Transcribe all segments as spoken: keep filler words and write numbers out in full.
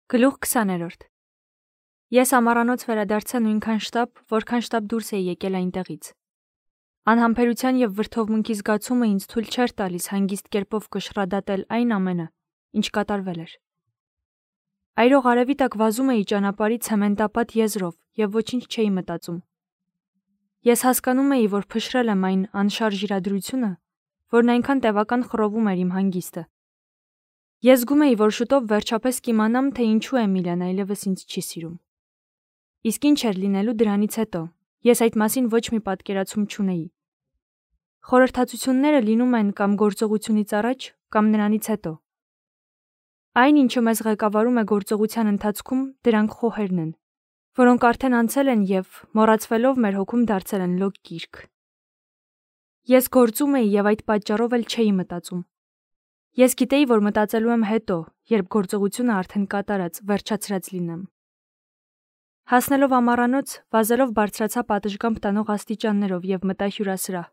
Գլուխ քսաներորդ Ես ամառանոց վերադարձա նույնքան շտապ, որքան շտապ դուրս էի եկել այնտեղից։ Անհամբերության և վրդովմունքի զգացումը ինձ թույլ չէր տալիս հանգիստ կերպով կշռադատել այն ամենը, ինչ կատարվել էր։ Այրող արևի տակ վազում էի ճանապարհի ցեմենտապատ եզրով և ոչինչ չէի մտածում։ Ես հասկանում էի, որ փշրել եմ այն անշարժ իրադրությունը, որն այնքան տևական խռովում էր իմ հանգիստը։ Ես զգում էի, որ շուտով վերջապես կիմանամ, թե ինչու Էմիլիան այլևս ինձ չի սիրում։ Իսկ ինչ էր լինելու դրանից հետո, ես այդ մասին ոչ մի պատկերացում չունեի։ Խորհրդածությունները լինում են կամ գործողությունից առաջ, կամ նրանից հետո։ Այն, ինչը մեզ ղեկավարում է գործողության ընթացքում, դրանք խոհերն են, որոնք արդեն անցել են և, մոռացվելով, մեր հոգում դարձել են լոկ գիրք։ Ես գործում էի և այդ պատճառով էլ չէի մտածում։ Ես գիտեի, որ մտածելու եմ հետո, երբ գործողությունը արդեն կատարած, վերջացրած լինեմ։ Հասնելով ամառանոց, վազելով բարձրացա պատշգամբ տանող աստիճաններով և մտա հյուրասրահ։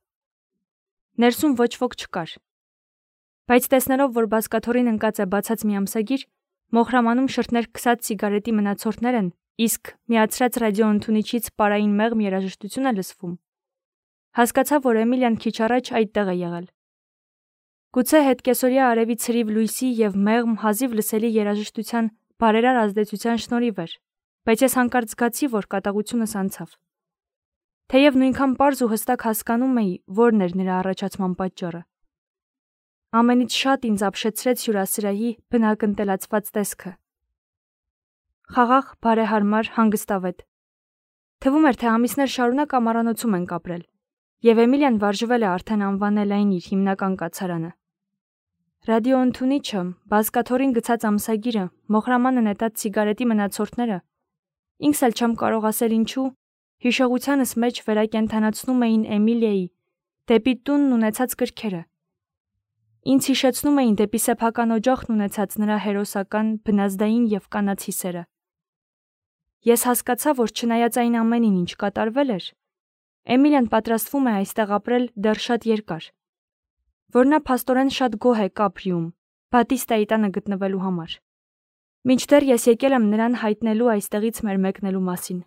Ներսում ոչ ոք չկար։ Բայց տեսնելով, որ բազկաթոռին ընկած է բացած մի ամսագիր, մոխրամանում շրթներ քսած սիգարետի մնացորդներ են, իսկ միացրած ռադիոընդունիչից պարային մեղմ երաժշտություն է լսվում, հասկացա, որ Էմիլիան քիչ առաջ այդտեղ է եղել։ Գուցե հետկեսօրյա արևի ցրիվ լույսի և մեղմ հազիվ լսելի երաժշտության բարերար ազդեցության շնորհիվ էր, բայց ես հանկարծ զգացի, որ կատաղությունս անցավ։ Թեև նույնքան պարզ ու հստակ հասկանում էի, որն էր նրա առաջացման պատճառը։ Ամենից շատ ինձ ապշեցրեց հյուրասրահի բնակ-ընտելացված տեսքը։ Խաղաղ, բարեհարմար, հանգստավետ։ Թվում էր, թե ամիսներ շարունակ ամառանոցում ենք ապրել, և Էմիլիան վարժվել է արդեն անվանել այն իր հիմնական կացարանը։ Ռադիոընդունիչը, բազկաթոռին գցած ամսագիրը, մոխրամանը նետած սիգարետի մնացորդները, ինքս էլ չեմ կարող ասել ինչու, հիշողությանս մեջ վերակենդանացնում էին Էմիլիայի դեպի տունն ունեցած կրքերը։ Ինձ հիշեցնում էին դեպի սեփական օջախն ունեցած նրա հերոսական, բնազդային և կանացի սերը։ Ես հասկացա, որ չնայած այն ամենին, ինչ կատարվել էր, Էմիլիան պատրաստվում է այստեղ ապրել դեռ շատ երկար, որ նա փաստորեն շատ գոհ է Կապրիում, Բատիստայի տանը գտնվելու համար։ Մինչդեռ ես եկել եմ նրան հայտնելու այստեղից մեր մեկնելու մասին։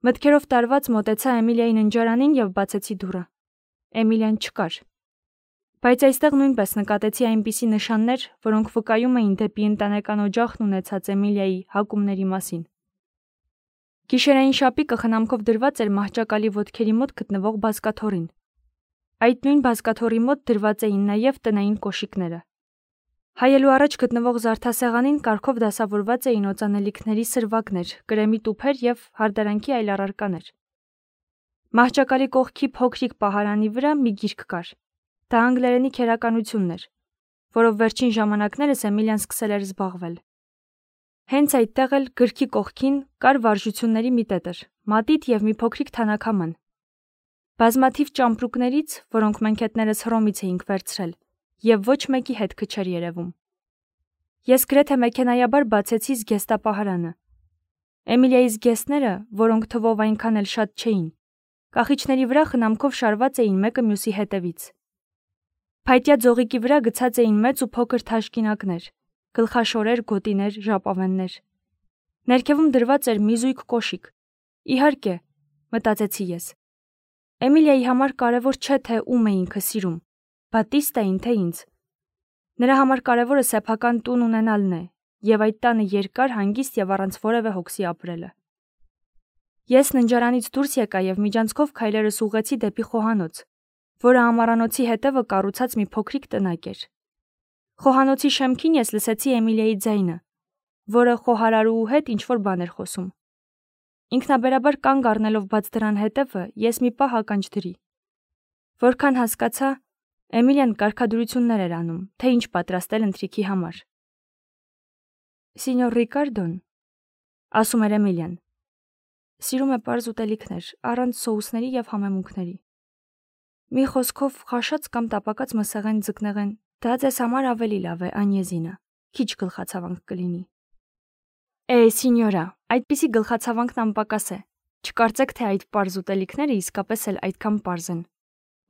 Մտքերով տարված մոտեցա Էմիլիայի ննջարանին և բացեցի դուռը։ Էմիլիան չկար։ Բայց այստեղ նույնպես նկատեցի այնպիսի նշաններ, որոնք վկայում էին դեպի ընտանեկան օջախն ունեցած Էմիլիայի հակումների մասին։ Գիշերային շապիկը խնամքով դրված էր մահճակալի ոտքերի մոտ գտնվող բազկաթոռին։ Այդ նույն բազկաթոռի մոտ դրված էին նաև տնային կոշիկները։ Հայելու առաջ գտնվող զարդասեղանին կարգով դասավորված էին օծանելիքների սրվակներ, կրեմի տուփեր և հարդարանքի այլ առարկաներ։ Մահճակալի կողքի փոքրիկ պահարանի վրա մի գիրք կար։ Դա անգլերենի քերականությունն էր, որով վերջին ժամանակներս Էմիլիան սկսել էր զբաղվել։ Հենց այդտեղ էլ գրքի կողքին կար վարժությունների մի տետր, մատիտ և մի փոքրիկ թանաքաման։ Բազմաթիվ ճամպրուկներից, որոնք մենք հետներս Հռոմից էինք վերցրել, և ոչ մեկի հետքը չէր երևում։ Ես գրեթե մեքենայաբար բացեցի զգեստապահարանը։ Էմիլիայի զգեստները, որոնք թվով այնքան էլ շատ չէին, կախիչների վրա խնամքով շարված էին մեկը մյուսի հետևից։ Փայտյա ձողիկի վրա գցած էին մեծ ու փոքր թաշկինակներ, գլխաշորեր, գոտիներ, ժապավեններ։ Ներքևում դրված էր մի զույգ կոշիկ։ Իհարկե, մտածեցի ես։ Էմիլիայի համար կարևոր չէ, թե ում է ինքը սիրում, Բատիստային, թե ինձ։ Նրա համար կարևորը սեփական տուն ունենալն է, և այդ տանը երկար, հանգիստ և առանց որևէ հոգսի ապրելը։ Ես ննջարանից դուրս եկա և միջանցքով քայլերս ուղղեցի դեպի խոհանոց, որը ամառանոցի հետևը կառուցած մի փոքրիկ տնակ էր։ Խոհանոցի շեմքին ես լսեցի Էմիլիայի ձայնը, որը խոհարարուհու հետ ինչ-որ բան էր խոսում։ Ինքնաբերաբար կանգ առնելով բաց դռան հետևը, ես մի պահ ականջ դրի։ Որքան հասկացա, Էմիլիան կարգադրություններ էր անում, թե ինչ պատրաստել ընթրիքի համար։ Սինյոր Ռիկարդոն, ասում էր Էմիլիան, սիրում է պարզ ուտելիքներ, առանց սոուսների և համեմունքների։ Մի խոսքով, խաշած կամ տապակած մսեղեն ձկնեղեն, դա ձեզ համար ավելի լավ է, Անյեզինա, քիչ գլխացավանք կլինի։ Է, սինյորա, այդպիսի գլխացավանքն անպակաս է։ Չկարծեք, թե այդ պարզ ուտելիքները իսկապես էլ այդքան պարզ են։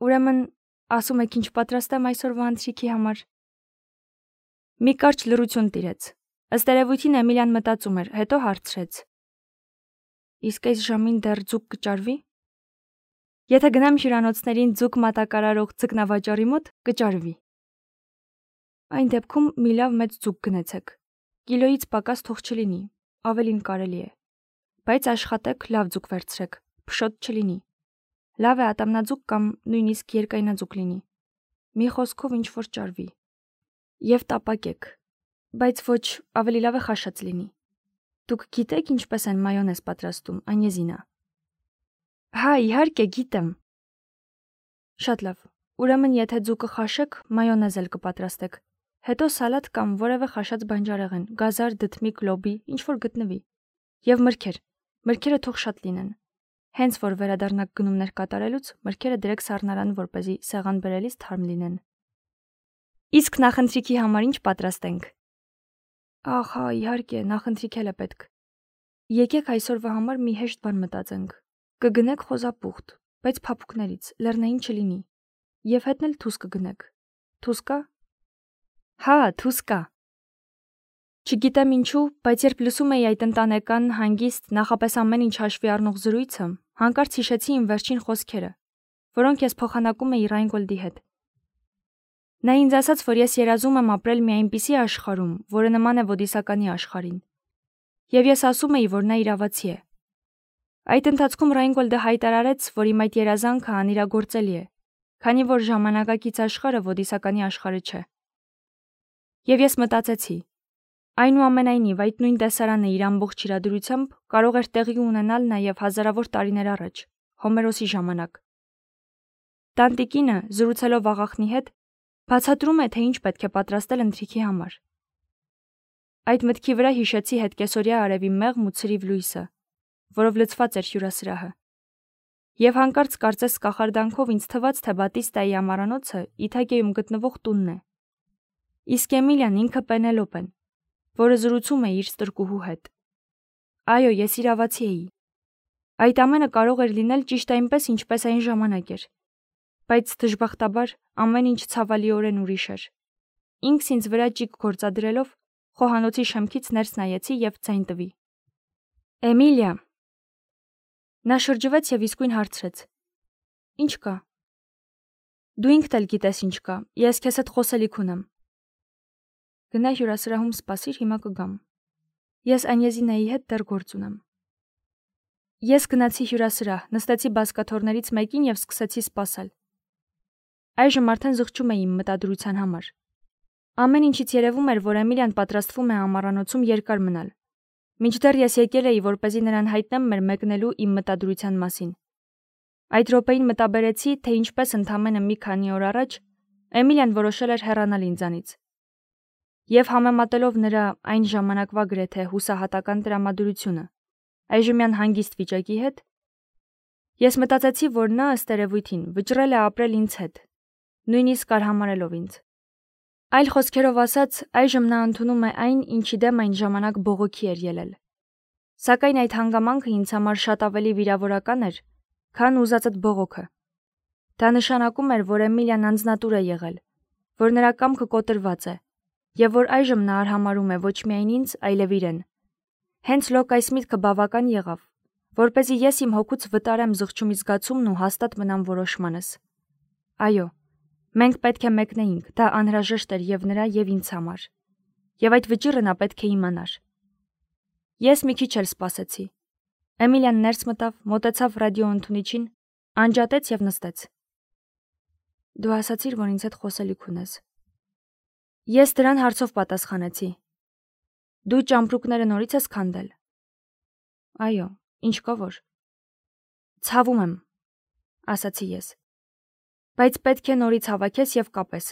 Ուրեմն, ասում եք ինչ պատրաստեմ այսօրվա ընթրիքի համար։ Մի կարճ լռություն տիրեց։ Ըստ երևույթին Էմիլիան մտածում էր, հետո հարցրեց. Իսկ այս ժամին դեռ ձուկ կճարվի։ Եթե գնամ հյուրանոցներին ձուկ մատակարարող ձկնավաճառի մոտ, կճարվի։ Այն դեպքում մի լավ մեծ ձուկ գնեցեք։ Կիլոից պակաս թող չլինի, ավելին կարելի է։ Բայց աշխատեք լավ ձուկ վերցրեք, փշոտ չլինի։ Լավ է ատամնաձուկ կամ նույնիսկ երկայնաձուկ լինի։ Մի խոսքով ինչ որ ճարվի։ Եվ տապակեք, բայց ոչ ավելի լավ է խաշած լինի։ Դուք գիտեք ինչպես են մայոնեզ պատրաստում, Անյեզինա։ Հա, իհարկե գիտեմ։ Շատ լավ։ Ուրեմն եթե ձուկը խաշեք, մայոնեզ էլ կպատրաստեք։ Հետո սալատ կամ որևէ խաշած բանջարեղեն, գազար, դդմիկ, լոբի, ինչ որ գտնվի։ Եվ մրգեր։ Մրգերը թող շատ լինեն։ Հենց որ վերադառնաք գնումներ կատարելուց, մրգերը դրեք սառնարան, որպեսզի սեղան բերելիս թարմ լինեն։ Իսկ նախընթրիքի համար ինչ պատրաստենք։ Ահ, հա, իհարկե, նախընթրիք էլ է պետք։ Եկեք այսօրվա համար մի հեշտ բան մտածենք։ Կգնեք խոզապուխտ, բայց փափուկներից, լեռնային չլինի։ Եվ հետն էլ թուս կգնեք։ Թուս կա։ Հա, թուս կա։ Չգիտեմ ինչու, բայց երբ լսում էի այդ ընտանեկան, հանգիստ, նախապես ամեն ինչ հաշվի առնող զրույցը, հանկարծ հիշեցի իմ վերջին խոսքերը, որոնք ես փոխանակում էի Ռայնգոլդի հետ։ Նա ինձ ասաց, որ ես երազում եմ ապրել մի այնպիսի աշխարհում, որը նման է Ոդիսականի աշխարհին։ Եվ ես ասում էի, որ նա իրավացի է։ Այդ ընթացքում Ռայնգոլդը հայտարարեց, որ իմ այդ երազանքը անիրագործելի է, քանի որ ժամանակակից աշխարհը Ոդիսականի աշխարհը չէ։ Եվ ես մտածեցի. այնուամենայնիվ այդ նույն տեսարանը իր ամբողջ իրադրությամբ կարող էր տեղի ունենալ նաև հազարավոր տարիներ առաջ, Հոմերոսի ժամանակ։ Տանտիկինը, զրուցելով աղախնի հետ, բացատրում է, թե ինչ պետք է պատրաստել ընթրիքի համար։ Այդ մտքի վրա հիշեցի հետկեսօրյա արևի մեղմ ու ցրիվ լույսը, որով լցված էր հյուրասրահը։ Եվ հանկարծ կարծես կախարդանքով ինձ թվաց, թե Բատիստայի ամառանոցը Իթակիայում գտնվող տունն է։ Իսկ Էմիլիան ինքը Պենելոպեն, որը զրուցում է իր ստրկուհու հետ։ Այո, ես իրավացի էի։ Այդ ամենը կարող էր լինել ճիշտ այնպես, ինչպես այն ժամանակ էր։ Բայց դժբախտաբար ամեն ինչ ցավալիորեն ուրիշ էր։ Ինքս ինձ վրա ճիգ գործադրելով խոհանոցի շեմքից ներս նայեցի եւ ձայն տվի։ Էմիլիա։ Նա շրջվեց եւ իսկույն հարցրեց. Ինչ կա։ Դու ինքդ էլ գիտես ինչ կա։ Ես քեզ հետ խոսելիք ունեմ։ Գնա հյուրասրահում սպասիր, հիմա կգամ։ Ես Անյեզինայի հետ դեռ գործ ունեմ։ Ես գնացի հյուրասրահ, նստեցի բազկաթոռներից մեկին եւ սկսեցի սպասել։ Այժմ արդեն զղջում էի իմ մտադրության համար։ Ամեն ինչից երևում էր, որ Էմիլիան պատրաստվում է ամառանոցում երկար մնալ։ Մինչդեռ ես եկել էի, որպեսզի նրան հայտնեմ մեր մեկնելու իմ մտադրության մասին։ Այդ րոպեին մտաբերեցի, թե ինչպես ընդամենը մի քանի օր առաջ Էմիլիան որոշել էր հեռանալ ինձանից։ Եվ համեմատելով նրա այն ժամանակվա գրեթե հուսահատական տրամադրությունը այժմյան հանգիստ վիճակի հետ, ես մտածեցի, որ նա ըստ երևույթին վճռել է ապրել ինձ հետ, նույնիսկ արհամարհելով ինձ։ Այլ խոսքերով ասած, այժմ նա ընդունում է այն, ինչի դեմ այն ժամանակ բողոքի էր ելել։ Սակայն այդ հանգամանքը ինձ համար շատ ավելի վիրավորական էր, քան ուզածդ բողոքը։ Դա նշանակում էր, որ Էմիլիան անձնատուր է եղել, որ նրա կամքը կոտրված է, եւ որ այժմ նա արհամարհում է ոչ միայն ինձ, այլև իրեն։ Հենց լոկ այս միտքը բավական եղավ, որպեսզի ես իմ հոգուց վտարեմ զղջումի զգացումն ու հաստատ մնամ որոշմանս։ Այո, մենք պետք է մեկնեինք, դա անհրաժեշտ էր եւ նրա եւ ինձ համար։ Եվ այդ վճիռը նա պետք է իմանար։ Ես մի քիչ էլ սպասեցի։ Էմիլիան ներս մտավ, մոտեցավ ռադիոընդունիչին, անջատեց եւ նստեց։ Դու ասացիր, որ ինձ հետ խոսելիք ունես։ Ես դրան հարցով պատասխանեցի։ Դու ճամպրուկները նորից ես քանդել։ Այո, ինչ կա որ։ Ցավում եմ, ասացի ես։ Բայց պետք է նորից հավաքես եւ կապես։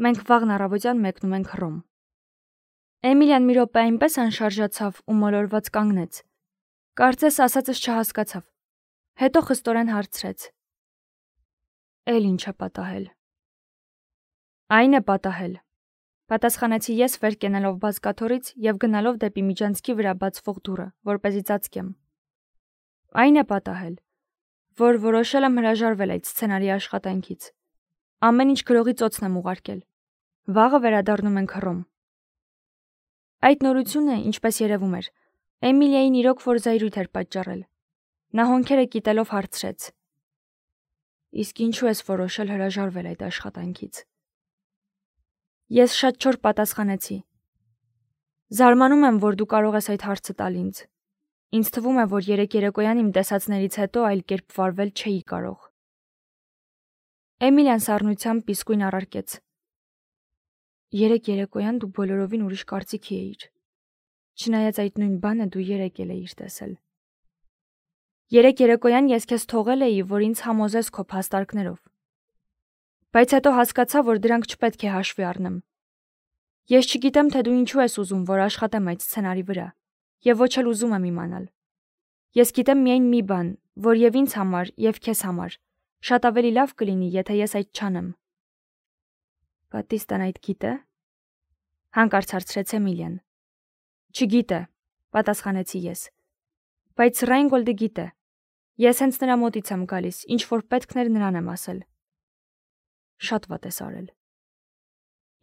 Մենք վաղն առավոտյան մեկնում ենք Հռոմ։ Էմիլիան մի րոպե այնպես անշարժացավ ու մոլորված կանգնեց։ Կարծես ասածս չհասկացավ։ Հետո խստորեն հարցրեց. Էլ ինչ է պատահել։ Այն է պատահել։ Պատասխանեցի ես վեր կենալով բազկաթոռից եւ գնալով դեպի միջանցքի վրա բացվող դուռը, որպեսզի ծածկեմ։ Այն է պատահել, որ որոշել եմ հրաժարվել այդ սցենարի աշխատանքից։ Ամեն ինչ գրողի ծոցն եմ ուղարկել։ Վաղը վերադառնում ենք Հռոմ։ Այդ նորությունը, ինչպես երևում էր, Էմիլիային իրոք որ զայրույթ էր պատճառել։ Նա հոնքերը կիտելով հարցրեց. Իսկ ինչու ես որոշել հրաժարվել այդ աշխատանքից։ Ես շատ չոր պատասխանեցի. Զարմանում եմ, որ դու կարող ես այդ հարցը տալ ինձ։ Ինձ թվում է, որ երեք երեկոյան իմ տեսածներից հետո այլ կերպ վարվել չէի կարող։ Էմիլիան սառնությամբ իսկույն առարկեց. Երեք երեկոյան դու բոլորովին ուրիշ կարծիքի էիր։ Չնայած այդ նույն բանը դու երեք էլ էիր տեսել։ Երեք երեկոյան ես քեզ թողել էի, որ ինձ համոզես քո փաստարկներով։ Բայց հետո հասկացա, որ դրանք չպետք է հաշվի առնեմ։ Ես չգիտեմ, թե դու ինչու ես ուզում, որ աշխատեմ այդ սցենարի վրա, եւ ոչ էլ ուզում եմ իմանալ։ Ես գիտեմ միայն մի բան, որ եւ ինձ համար, եւ քեզ համար շատ ավելի լավ կլինի, եթե ես այդ չանեմ։ Բատիստան այդ գիտե՞։ Հանկարծ հարցրեց Էմիլիան։ Չգիտե, պատասխանեցի ես։ Բայց Ռայնգոլդը գիտե։ Ես հենց նրա մոտից եմ գալիս, ինչ որ պետքներ նրան եմ ասել։ Շատ վատ ես արել։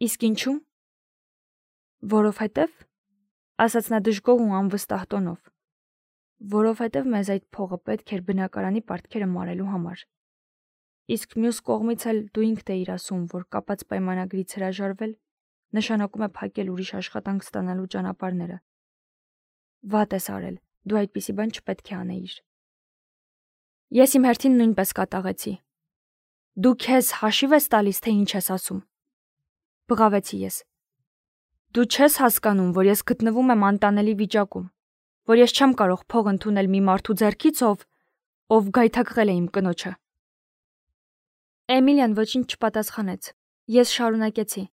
Իսկ ինչու՞։ Որովհետև, ասաց նա դժգոհ ու անվստահ տոնով, որովհետև մեզ այդ փողը պետք էր բնակարանի պարտքերը մարելու համար։ Իսկ մյուս կողմից էլ դու ինքդ էիր ասում, որ կապած պայմանագրից հրաժարվել նշանակում է փակել ուրիշ աշխատանք ստանալու ճանապարհները։ Վատ ես արել, դու այդպիսի բան չպետք է անեիր։ Ես իմ հերթին նույնպես կատաղեցի։ Դու քեզ հաշիվ ես տալիս, թե ինչ ես ասում։ Բղավեցի ես։ Դու չես հասկանում, որ ես գտնվում եմ անտանելի վիճակում, որ ես չեմ կարող փող ընդունել մի մարդու ձեռքից, ով ով գայթակղել է իմ կնոջը։ Էմիլիան ոչինչ չպատասխանեց։ Ես շարունակեցի.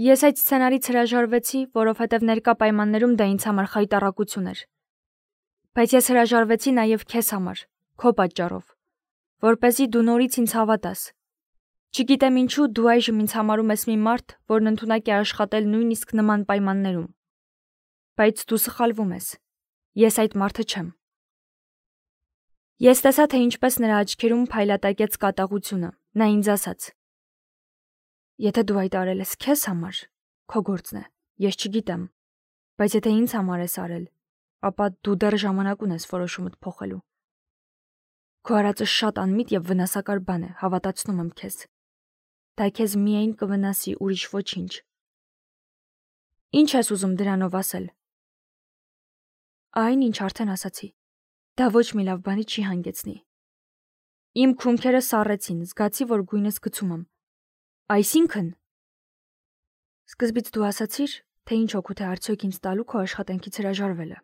Ես այդ սցենարից հրաժարվեցի, որովհետև ներկա պայմաններում դա ինձ համար խայտառակություն էր։ Բայց ես հրաժարվեցի նաև քեզ համար, քո պատճառով, որպեսզի դու նորից ինձ հավատաս։ Չգիտեմ ինչու դու այժմ ինձ համարում ես մի մարդ, որն ընդունակ է աշխատել նույնիսկ նման պայմաններում։ Բայց դու սխալվում ես։ Ես այդ մարդը չեմ։ Ես տեսա, թե ինչպես նրա աչքերում փայլատակեց կատաղությունը։ Նա ինձ ասաց. Եթե դու այդ արել ես քեզ համար, քո գործն է, ես չգիտեմ, բայց եթե ինձ համար ես արել, ապա դու դեռ ժամանակ ունես որոշումդ փոխելու։ Քո արածը շատ անմիտ եւ վնասակար բան է, հավատացնում եմ քեզ։ Դա քեզ միայն կվնասի, ուրիշ ոչինչ։ Ինչ ես ուզում դրանով ասել։ Այն, ինչ արդեն ասացի։ Դա ոչ մի լավ բանի չի հանգեցնի։ Իմ քունքերը սառեցին, զգացի, որ գույնս գցում եմ։ Այսինքն, սկզբից դու ասացիր, թե ինչ օգուտ է արդյոք ինձ տալու քո աշխատանքից հրաժարվելը։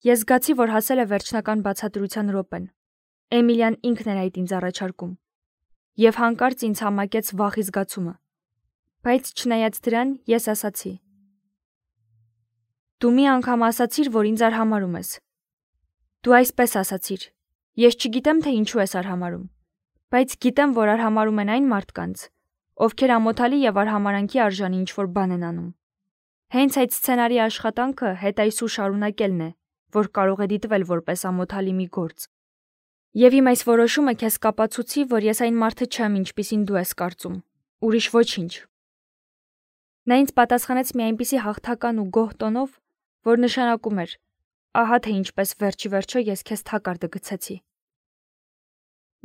Ես զգացի, որ հասել է վերջնական բացատրության րոպեն։ Էմիլիան ինքն էր այդ ինձ առաջարկում։ Եվ հանկարծ ինձ համակեց վախի զգացումը։ Բայց չնայած դրան, ես ասացի. Դու մի անգամ ասացիր, որ ինձ արհամարում ես։ Դու այսպես ասացիր. Ես չգիտեմ, թե ինչու ես արհամարում, բայց գիտեմ, որ արհամարում են այն մարդկանց, ովքեր ամոթալի եւ արհամարանքի արժանի ինչ-որ բան են անում։ Հենց այդ սցենարի աշխատանքը հետայսու շարունակելն է, որ կարող է դիտվել որպես ամոթալի մի գործ։ Եվ իմ այս որոշումը քեզ կապացուցի, որ ես այն մարդը չեմ, ինչպիսին դու ես կարծում։ Ուրիշ ոչինչ։ Նա ինձ պատասխանեց մի այնպիսի հաղթական ու գոհ տոնով, որ նշանակում էր. ահա թե ինչպես վերջի վերջո ես քեզ թակարդը գցեցի։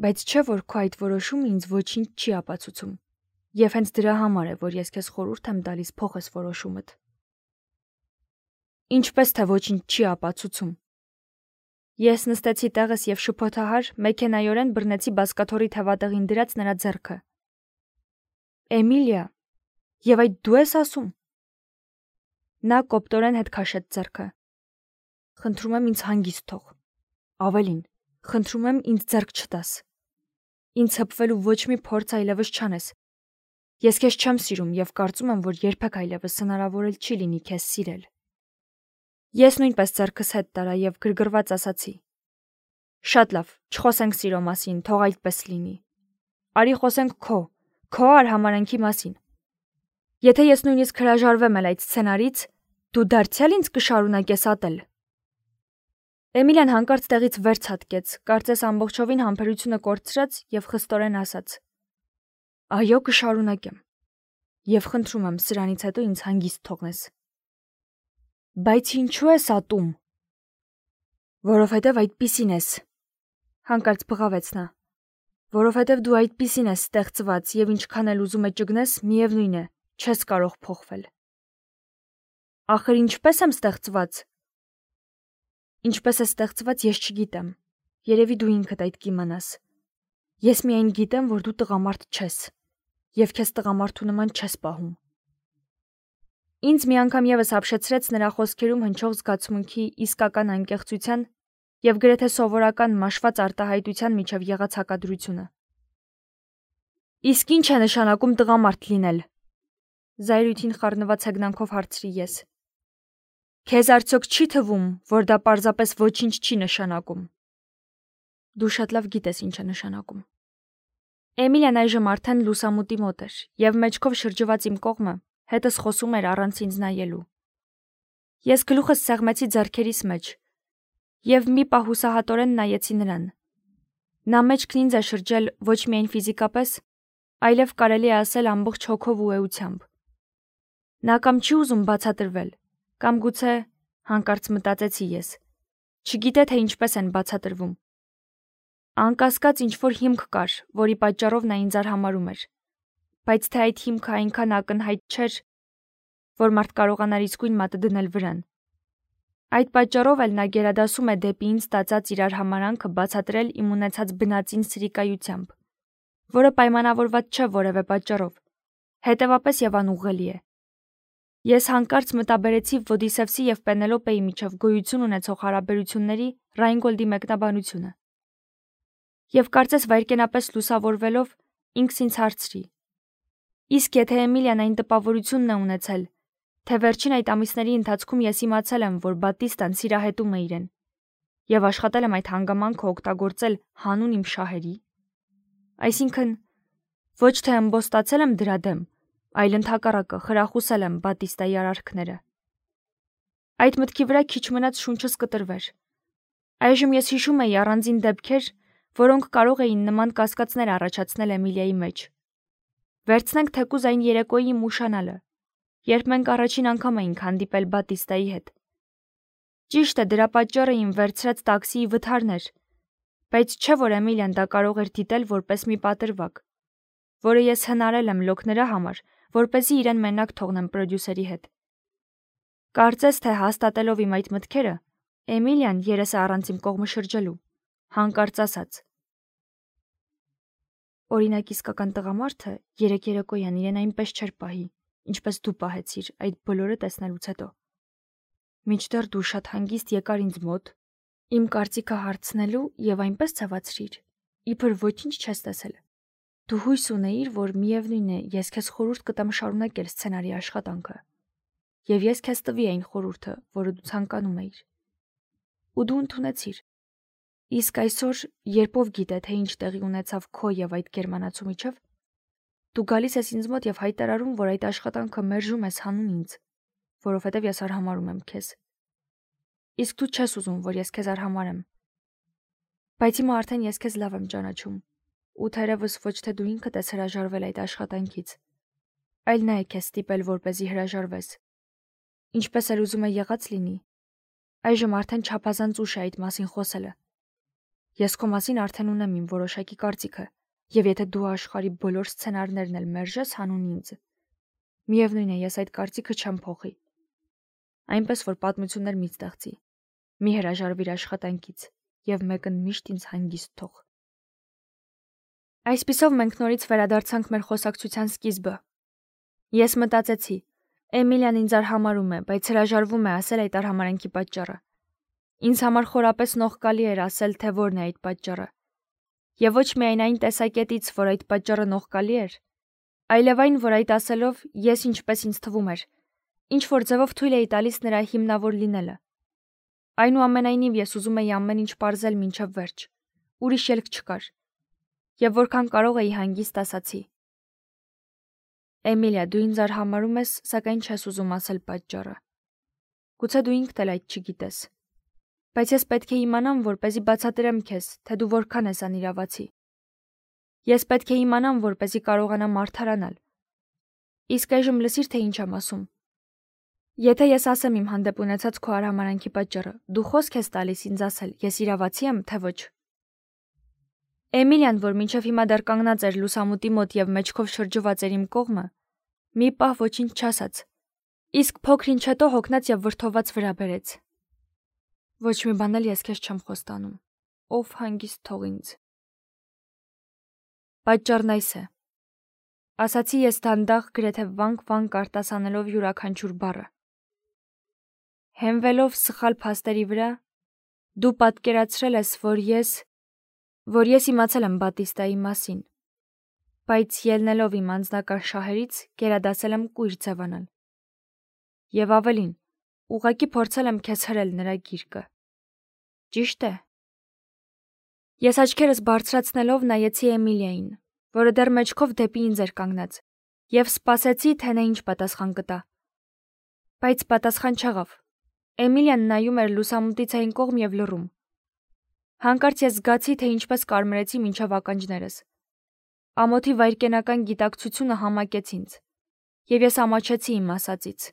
Բայց չէ որ քո այդ որոշումը ինձ ոչինչ չի ապացուցում, եւ հենց դրա համար է, որ ես քեզ խորհուրդ եմ տալիս փոխես որոշումդ։ Ինչպես թե ոչինչ չի ապացուցում։ Ես նստեցի տեղս եւ շփոթահար մեքենայորեն բռնեցի բազկաթոռի թևատեղին դրած նրա ձեռքը։ Էմիլիա, եւ այդ դու ես ասում։ Նա կոպտորեն հետ քաշեց ձեռքը։ Խնդրում եմ ինձ հանգիստ թող։ Ավելին, խնդրում եմ ինձ ձեռք չտաս։ Ինձ հպվելու ոչ մի փորձ այլևս չանես։ Ես քեզ չեմ սիրում եւ կարծում եմ, որ երբեք այլևս հնարավոր էլ չի լինի քեզ սիրել։ Ես նույնպես ձեռքս հետ տարա եւ գրգռված ասացի. Շատ լավ, չխոսենք սիրո մասին, թող այդպես լինի։ Արի խոսենք քո, քո արհամարանքի մասին։ Եթե ես նույնիսկ հրաժարվեմ էլ այդ սցենարից, դու դարձյալ ինձ կշարունակես ատել։ Էմիլիան հանկարծ տեղից վեր ցատկեց, կարծես ամբողջովին համբերությունը կորցրած եւ խստորեն ասաց. Այո, կշարունակեմ։ Եվ խնդրում եմ սրանից հետո ինձ հանգիստ թողնես։ Բայց ինչու ես ատում։ Որովհետև այդպիսին ես, հանկարծ բղավեց նա։ Որովհետև դու այդպիսին ես ստեղծված եւ ինչքան էլ ուզում է ճգնես, միևնույն է, չես կարող փոխվել։ Ախր ինչպես եմ ստեղծված։ Ինչպես է ստեղծված, ես չգիտեմ։ Երևի դու ինքդ այդ կիմանաս։ Ես միայն գիտեմ, որ դու տղամարդ չես, եւ քեզ տղամարդու նման չես պահում։ Ինձ մի անգամ եւս ապշեցրեց նրա խոսքերում հնչող զգացմունքի իսկական անկեղծության եւ գրեթե սովորական մաշված արտահայտության միջև եղած հակադրությունը։ Իսկ ինչ է նշանակում տղամարդ լինել։ Զայրույթին խառնված հեգնանքով հարցրի ես։ Քեզ արդյոք չի թվում, որ դա պարզապես ոչինչ չի նշանակում։ Դու շատ լավ գիտես ինչ է նշանակում։ Էմիլիան այժմ արդեն լուսամուտի մոտ էր եւ մեջքով շրջված իմ կողմը հետս խոսում էր առանց ինձ նայելու։ Ես գլուխս սեղմեցի ձեռքերիս մեջ եւ մի պահ հուսահատորեն նայեցի նրան։ Նա մեջքն ինձ է շրջել ոչ միայն ֆիզիկապես, այլև կարելի է ասել ամբողջ հոգով ու էությամբ։ Նա կամ չի ուզում բացատրվել, կամ գուցե, հանկարծ մտածեցի ես, չգիտե թե ինչպես են բացատրվում։ Անկասկած ինչ-որ հիմք կար, որի պատճառով նա ինձ արհամարհում էր, բայց թե այդ հիմքը այնքան ակնհայտ չէր, որ մարդ կարողանար իսկույն մատը դնել վրան։ Այդ պատճառով էլ նա գերադասում է դեպի ինձ տածած իր արհամարանքը բացատրել իմ ունեցած բնածին սրիկայությամբ, որը պայմանավորված չէ որևէ պատճառով, հետևապես եւ անուղղելի է։ Ես հանկարծ մտաբերեցի Ոդիսևսի եւ Պենելոպեի միջև գոյություն ունեցող հարաբերությունների Ռայնգոլդի մեկնաբանությունը։ Եվ կարծես վայրկենապես լուսավորվելով ինքս ինձ հարցրի. իսկ եթե Էմիլիան այն տպավորությունն է ունեցել, թե վերջին այդ ամիսների ընթացքում ես իմացել եմ, որ Բատիստան սիրահետում է իրեն, եւ աշխատել եմ այդ հանգամանքը օգտագործել հանուն իմ շահերի, այսինքն ոչ թե ըմբոստացել եմ դրա դեմ, այլ ընդհակառակը խրախուսել եմ Բատիստայի արարքները։ Այդ մտքի վրա քիչ մնաց շունչս կտրվեր։ Այժմ ես հիշում եի առանձին դեպքեր, որոնք կարող էին նման կասկածներ առաջացնել Էմիլիայի մեջ։ Վերցնենք թեկուզ այն երեկոյի իմ ուշանալը, երբ մենք առաջին անգամ էինք հանդիպել Բատիստայի հետ։ Ճիշտ է, դրա պատճառը իմ վերցրած տաքսիի վթարն էր, բայց չէ որ Էմիլիան դա կարող էր դիտել որպես մի պատրվակ, որը ես հնարել եմ լոկ նրա համար, որպեսզի իրեն մենակ թողնեմ պրոդյուսերի հետ։ Կարծես թե հաստատելով իմ այդ մտքերը, Էմիլիան երեսը առանց իմ կողմը շրջելու, հանկարծ ասաց. Օրինակ իսկական տղամարդը երեք երեկոյան իրեն այնպես չէր պահի, ինչպես դու պահեցիր այդ բոլորը տեսնելուց հետո։ Մինչդեռ դու շատ հանգիստ եկար ինձ մոտ, իմ կարծիքը հարցնելու եւ այնպես ցավացրիր, իբր ոչինչ չես տեսել։ Դու հույս ունեիր, որ միևնույն է, ես քեզ խորհուրդ կտամ շարունակել սցենարի աշխատանքը, եւ ես քեզ տվի այն խորհուրդը, որը դու ցանկանում էիր։ Ու դու ընդունեցիր։ Իսկ այսօր, երբ ով գիտե, թե ինչ տեղի ունեցավ քո եւ այդ գերմանացու միջև, դու գալիս ես ինձ մոտ եւ հայտարարում, որ այդ աշխատանքը մերժում ես հանուն ինձ, որովհետեւ ես արհամարհում եմ քեզ։ Իսկ դու չես ուզում, որ ես քեզ արհամարհեմ։ Բայց հիմա արդեն ես քեզ լավ եմ ճանաչում, ու թերևս ոչ թե դու ինքդ ես հրաժարվել այդ աշխատանքից, այլ նա է քեզ ստիպել, որպեսզի հրաժարվես։ Ինչպես էլ ուզում է եղած լինի, այժմ արդեն չափազանց ուշ է այդ մասին խոսելը։ Ես քո մասին արդեն ունեմ իմ որոշակի կարծիքը, եւ եթե դու աշխարհի բոլոր սցենարներն էլ մերժես հանուն ինձ, միևնույն է, ես այդ կարծիքը չեմ փոխի։ Այնպես որ պատմություններ մի ստեղծի, մի հրաժարվիր աշխատանքից եւ մեկն միշտ ինձ հանգիստ թող։ Այսպիսով մենք նորից վերադարձանք մեր խոսակցության սկիզբը։ Ես մտածեցի, Էմիլիան ինձ արհամարհում է, բայց հրաժարվում է ասել այդ արհամարանքի պատճառը։ Ինձ համար խորապես նողկալի էր ասել, թե որն է այդ պատճառը։ Եվ ոչ միայն այն տեսակետից, որ այդ պատճառը նողկալի էր, այլև այն, որ այդ ասելով ես ինչպես ինձ թվում էր, ինչ որ ձևով թույլ էի տալիս նրա հիմնավոր լինելը։ Այնուամենայնիվ ես ուզում էի ամեն ինչ պարզել մինչև վերջ։ Ուրիշ ելք չկար։ Եվ որքան կարող էի հանգիստ ասացի. Էմիլիա, դու ինձ արհամարհում ես, սակայն չես ուզում ասել պատճառը։ Գուցե դու ինքդ էլ այդ չգիտես։ Բայց ես պետք է իմանամ, որպեսզի բացատրեմ քեզ, թե դու որքան ես անիրավացի։ Ես պետք է իմանամ, որպեսզի կարողանամ արդարանալ։ Իսկ այժմ լսիր, թե ինչ եմ ասում։ Եթե ես ասեմ իմ հանդեպ ունեցած քո արհամարանքի պատճառը, դու խոսք ես տալիս ինձ ասել, ես իրավացի եմ, թե ոչ։ Էմիլիան, որ մինչև հիմա դեռ կանգնած էր լուսամուտի մոտ եւ մեջքով շրջված էր իմ կողմը, մի պահ ոչինչ չասաց, իսկ փոքր ինչ հետո հոգնած եւ վրդոված վրա բերեց։ Ոչ մի բան էլ ես քեզ չեմ խոստանում, ով հանգիստ թող ինձ։ Պատճառն այս է, ասացի ես դանդաղ գրեթե վանք-վանք արտասանելով յուրաքանչյուր բառը։ Հենվելով սխալ փաստերի վրա, դու պատկերացրել ես, որ ես, որ ես իմացել եմ Բատիստայի մասին, բայց ելնելով իմ անձնական շահերից գերադասել եմ կույր ձևանալ։ Եվ ավելին, ուղղակի փորձել եմ քեզ հրել նրա գիրկը։ Ճիշտ է։ Ես աչքերս բարձրացնելով նայեցի Էմիլիային, որը դեռ մեջքով դեպի ինձ էր կանգնած, եւ սպասեցի, թե նա ինչ պատասխան կտա։ Բայց պատասխան չեղավ։ Էմիլիան նայում էր լուսամուտից այն կողմ եւ լռում։ Հանկարծ ես զգացի, թե ինչպես կարմրեցի մինչև ականջներս։ Ամոթի վայրկենական գիտակցությունը համակեց ինձ, եւ ես ամաչեցի իմ ասածից։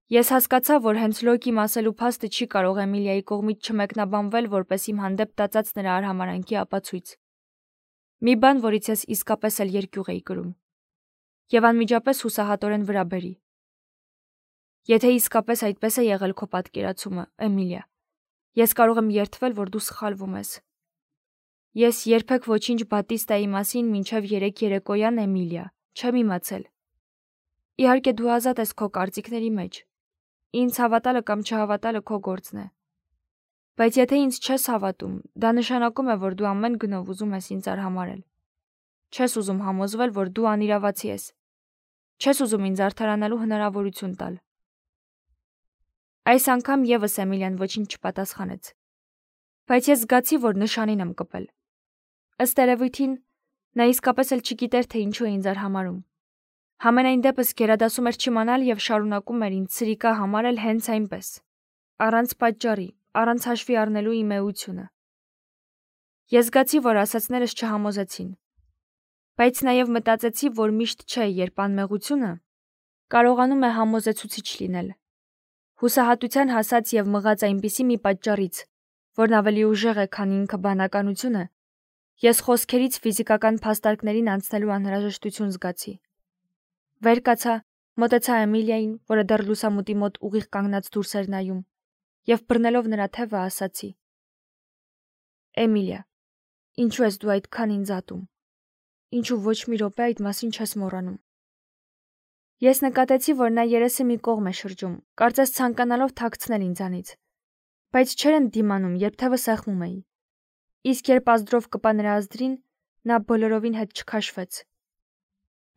Ես հասկացա, որ հենց Լոկիմ ասելու փաստը չի կարող Էմիլիայի կողմից չմեկնաբանվել որպես իմ հանդեպ տածած նրա արհամարանքի ապացույց։ Մի բան, որից ես իսկապես էլ երկյուղ էի կրում։ Եվ անմիջապես հուսահատորեն վրա բերի։ Եթե իսկապես այդպես է եղել քո պատկերացումը, Էմիլիա, ես կարող եմ երդվել, որ դու սխալվում ես։ Ես երբեք ոչինչ Բատիստայի մասին մինչև երեք երեկոյան, Էմիլիա, չեմ իմացել։ Իհարկե դու ազատ ես քո կարծիքների մեջ։ Ինձ հավատալը կամ չհավատալը քո գործն է։ Բայց եթե ինձ չես հավատում, դա նշանակում է, որ դու ամեն գնով ուզում ես ինձ արհամարհել։ Չես ուզում համոզվել, որ դու անիրավացի ես։ Չես ուզում ինձ արդարանալու հնարավորություն տալ։ Այս անգամ եւս Էմիլիան ոչինչ չպատասխանեց։ Բայց ես զգացի, որ նշանին եմ կպել։ Ըստ երևույթին, նա իսկապես էլ չգիտեր, թե ինչու է ինձ արհամարհում։ Համենայն դեպս գերադասում էր չիմանալ եւ շարունակում էր ինձ ցրիկա համարել հենց այնպես, առանց պատճառի, առանց հաշվի առնելու իմ էությունը։ Ես զգացի, որ ասածներս չհամոզեցին։ Բայց նաեւ մտածեցի, որ միշտ չէ, երբ անմեղությունը կարողանում է համոզեցուցիչ լինել։ Հուսահատության հասած եւ մղած այնպիսի մի պատճառից, որն ավելի ուժեղ է, քան ինքը բանականությունը, ես խոսքերից ֆիզիկական փաստարկներին անցնելու անհրաժեշտություն զգացի։ Վեր կացա, մոտեցա Էմիլիային, որը դեռ լուսամուտի մոտ ուղիղ կանգնած դուրս էր նայում, եւ բռնելով նրա թևը ասացի. Էմիլիա, ինչու ես դու այդքան ինձ ատում։ Ինչու ոչ մի րոպե այդ մասին չես մոռանում։ Ես նկատեցի, որ նա երեսը մի կողմ է շրջում, կարծես ցանկանալով թաքցնել ինձանից, բայց չէր ընդդիմանում, երբ թևը սեղմում էի։ Իսկ երբ ազդրով կպա նրա ազդրին, նա բոլորովին հետ չքաշվեց։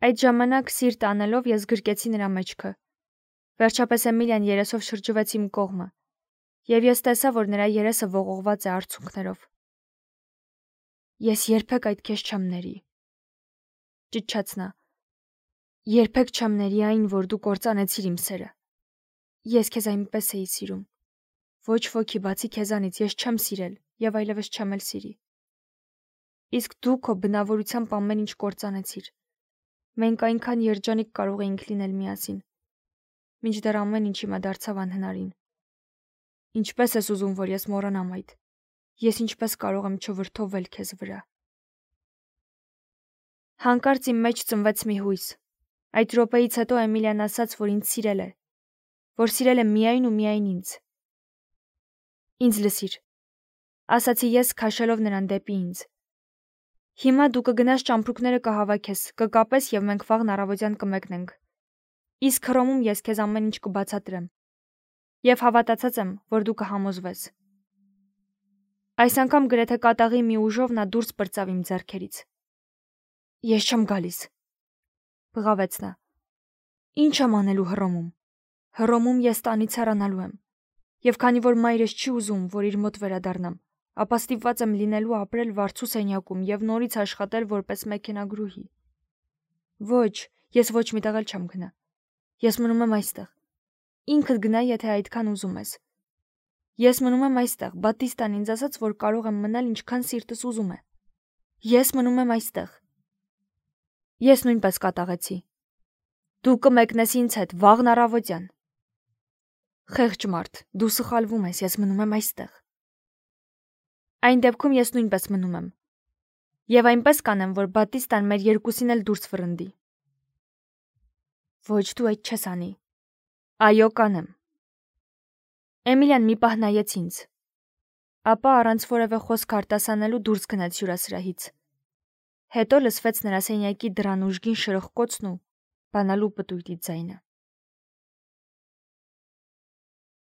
Այդ ժամանակ սիրտ անելով ես գրկեցի նրա մեջքը։ Վերջապես Էմիլիան երեսով շրջվեց իմ կողմը, եւ ես տեսա, որ նրա երեսը ողողված է արցունքներով։ Ես երբեք այդ քեզ չեմ ների, ճչաց նա։ Երբեք չեմ ների այն, որ դու կործանեցիր իմ սերը։ Ես քեզ այնպես էի սիրում։ Ոչ ոքի բացի քեզանից ես չեմ սիրել եւ այլևս չեմ էլ սիրի։ Իսկ դու քո բնավորությամբ ամեն ինչ կործանեցիր։ Մենք այնքան երջանիկ կարող էինք լինել միասին, մինչդեռ ամեն ինչ հիմա դարձավ անհնարին։ Ինչպես ես ուզում, որ ես մոռանամ այդ։ Ես ինչպես կարող եմ չվրդովել քեզ վրա։ Հանկարծ իմ մեջ ծնվեց մի հույս։ Այդ րոպեից հետո Էմիլիան ասաց, որ ինձ սիրել է, որ սիրել է միայն ու միայն ինձ։ Ինձ լսիր, ասացի ես, քաշելով նրան դեպի ինձ։ Հիմա դու կգնաս ճամպրուկները կհավաքես, կկապես եւ մենք վաղն առավոտյան կմեկնենք։ Իսկ Հռոմում ես քեզ ամեն ինչ կբացատրեմ։ Եվ հավատացած եմ, որ դու կհամոզվես։ Այս անգամ գրեթե կատաղի մի ուժով նա դուրս պրծավ իմ ձեռքերից։ Ես չեմ գալիս, բղավեց նա։ Ինչ եմ անելու Հռոմում։ Հռոմում ես տանից հեռանալու եմ։ Եվ քանի որ մայրս չի ուզում, որ իր մոտ վերադառնամ, ապա ստիպված եմ լինելու ապրել վարձու սենյակում եւ նորից աշխատել որպես մեքենագրուհի։ Ոչ, ես ոչ մի տեղ էլ չեմ գնա։ Ես մնում եմ այստեղ։ Ինքդ գնա, եթե այդքան ուզում ես։ Ես մնում եմ այստեղ, Բատիստան ինձ ասաց, որ կարող եմ մնալ ինչքան սիրտս ուզում է։ Ես մնում եմ այստեղ։ Ես նույնպես կատաղեցի։ Դու կմեկնես ինձ հետ վաղն առավոտյան։ Խեղճ մարդ, դու սխալվում ես, ես մնում եմ այստեղ։ Այն դեպքում ես նույնպես մնում եմ։ Եվ այնպես կանեմ, որ Բատիստան մեր երկուսին էլ դուրս վռնդի։ Ոչ, դու այդ չես անի։ Այո, կանեմ։ Էմիլիան մի պահ նայեց ինձ։ Ապա առանց որևէ խոսք արտասանելու դուրս գնաց հյուրասրահից։ Հետո լսվեց նրա սենյակի դռան ուժգին շրխկոցն ու բանալու պտույտի ձայնը։